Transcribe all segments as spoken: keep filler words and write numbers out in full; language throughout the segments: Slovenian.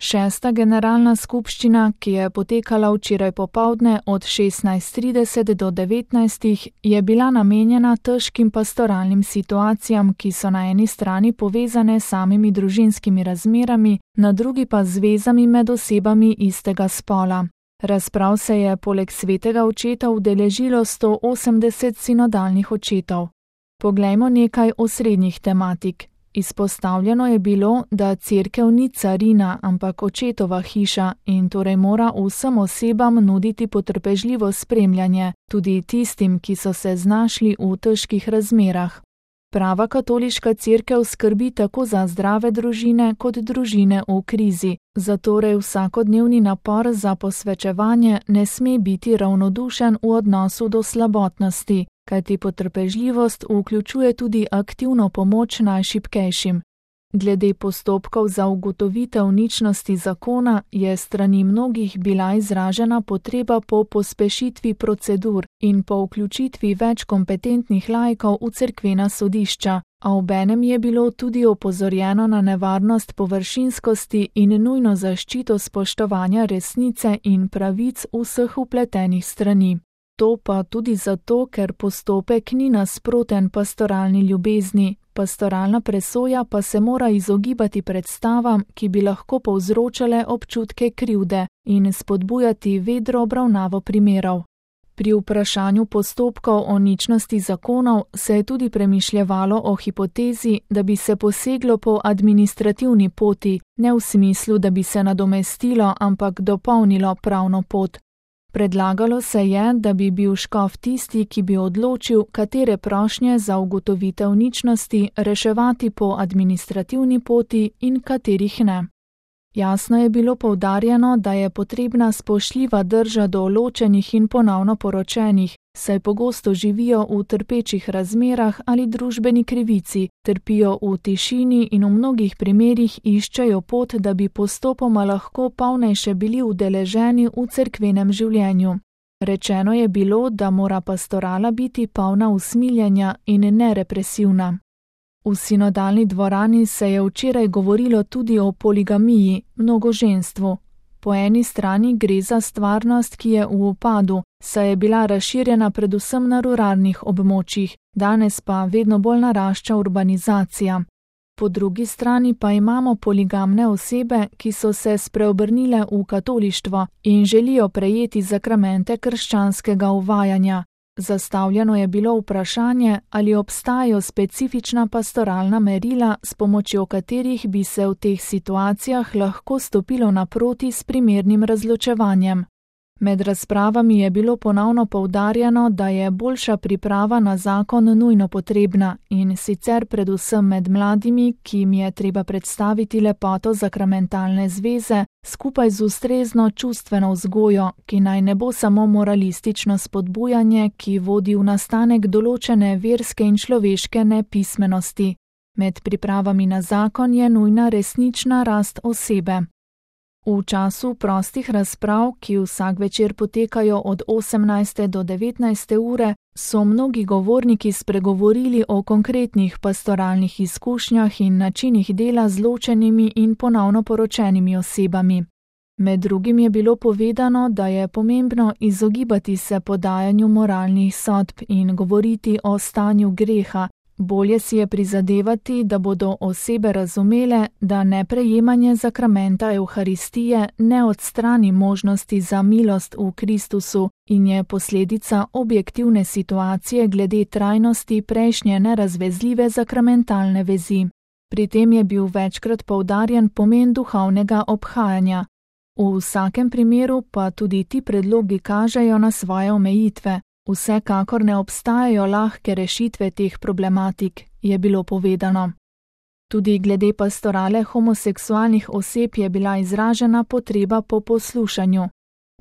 Šesta generalna skupščina, ki je potekala včeraj popoldne od šestnajst trideset do devetnajst, je bila namenjena težkim pastoralnim situacijam, ki so na eni strani povezane s samimi družinskimi razmerami, na drugi pa z vezami med osebami istega spola. Razprav se je poleg svetega očeta udeležilo sto osemdeset sinodalnih očetov. Poglejmo nekaj osrednjih tematik. Izpostavljeno je bilo, da cerkev ni carina, ampak očetova hiša in torej mora vsem osebam nuditi potrpežljivo spremljanje, tudi tistim, ki so se znašli v težkih razmerah. Prava katoliška cerkev skrbi tako za zdrave družine kot družine v krizi, zatorej vsakodnevni napor za posvečevanje ne sme biti ravnodušen v odnosu do slabotnosti, kajti potrpežljivost vključuje tudi aktivno pomoč najšibkejšim. Glede postopkov za ugotovitev ničnosti zakona je strani mnogih bila izražena potreba po pospešitvi procedur in po vključitvi več kompetentnih laikov v cerkvena sodišča, a obenem je bilo tudi opozorjeno na nevarnost površinskosti in nujno zaščito spoštovanja resnice in pravic vseh vpletenih strani. To pa tudi zato, ker postopek ni nasproten pastoralni ljubezni, pastoralna presoja pa se mora izogibati predstavam, ki bi lahko povzročale občutke krivde in spodbujati vedro obravnavo primerov. Pri vprašanju postopkov o ničnosti zakonov se je tudi premišljevalo o hipotezi, da bi se poseglo po administrativni poti, ne v smislu, da bi se nadomestilo, ampak dopolnilo pravno pot. Predlagalo se je, da bi bil škof tisti, ki bi odločil, katere prošnje za ugotovitev ničnosti reševati po administrativni poti in katerih ne. Jasno je bilo poudarjeno, da je potrebna spoštljiva drža do ločenih in ponovno poročenih, saj pogosto živijo v trpečih razmerah ali družbeni krivici, trpijo v tišini in v mnogih primerih iščejo pot, da bi postopoma lahko polnejše bili udeleženi v cerkvenem življenju. Rečeno je bilo, da mora pastorala biti polna usmiljenja in ne represivna. V sinodalni dvorani se je včeraj govorilo tudi o poligamiji, mnogoženstvu. Po eni strani gre za stvarnost, ki je v upadu, saj je bila razširjena predvsem na ruralnih območjih, danes pa vedno bolj narašča urbanizacija. Po drugi strani pa imamo poligamne osebe, ki so se spreobrnile v katolištvo in želijo prejeti zakramente krščanskega uvajanja. Zastavljeno je bilo vprašanje, ali obstajajo specifična pastoralna merila, s pomočjo katerih bi se v teh situacijah lahko stopilo naproti s primernim razločevanjem. Med razpravami je bilo ponovno poudarjeno, da je boljša priprava na zakon nujno potrebna in sicer predvsem med mladimi, ki jim je treba predstaviti lepoto zakramentalne zveze, skupaj z ustrezno čustveno vzgojo, ki naj ne bo samo moralistično spodbujanje, ki vodi v nastanek določene verske in človeške nepismenosti. Med pripravami na zakon je nujna resnična rast osebe. V času prostih razprav, ki vsak večer potekajo od osemnajste do devetnajste ure, so mnogi govorniki spregovorili o konkretnih pastoralnih izkušnjah in načinih dela z ločenimi in ponovno poročenimi osebami. Med drugim je bilo povedano, da je pomembno izogibati se podajanju moralnih sodb in govoriti o stanju greha. Bolje si je prizadevati, da bodo osebe razumele, da neprejemanje zakramenta Evharistije ne odstrani možnosti za milost v Kristusu in je posledica objektivne situacije glede trajnosti prejšnje nerazvezljive zakramentalne vezi. Pri tem je bil večkrat poudarjen pomen duhovnega obhajanja. V vsakem primeru pa tudi ti predlogi kažejo na svoje omejitve. Vsekakor ne obstajajo lahke rešitve teh problematik, je bilo povedano. Tudi glede pastorale homoseksualnih oseb je bila izražena potreba po poslušanju.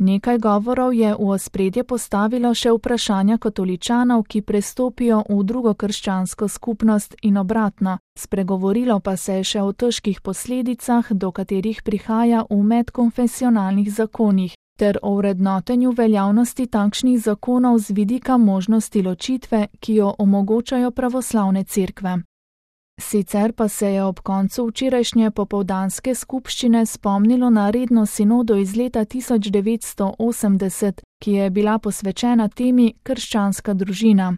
Nekaj govorov je v ospredje postavilo še vprašanja katoličanov, ki prestopijo v drugo krščansko skupnost in obratno, spregovorilo pa se je še o težkih posledicah, do katerih prihaja v medkonfesionalnih zakonih, ter o vrednotenju veljavnosti takšnih zakonov z vidika možnosti ločitve, ki jo omogočajo pravoslavne cerkve. Sicer pa se je ob koncu včerajšnje popoldanske skupščine spomnilo na redno sinodo iz leta tisoč devetsto osemdeset, ki je bila posvečena temi krščanska družina.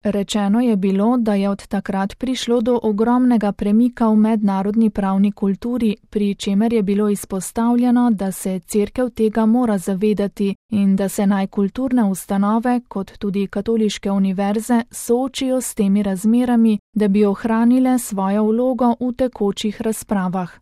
Rečeno je bilo, da je od takrat prišlo do ogromnega premika v mednarodni pravni kulturi, pri čemer je bilo izpostavljeno, da se Cerkev tega mora zavedati in da se naj kulturne ustanove, kot tudi katoliške univerze, soočijo s temi razmerami, da bi ohranile svojo vlogo v tekočih razpravah.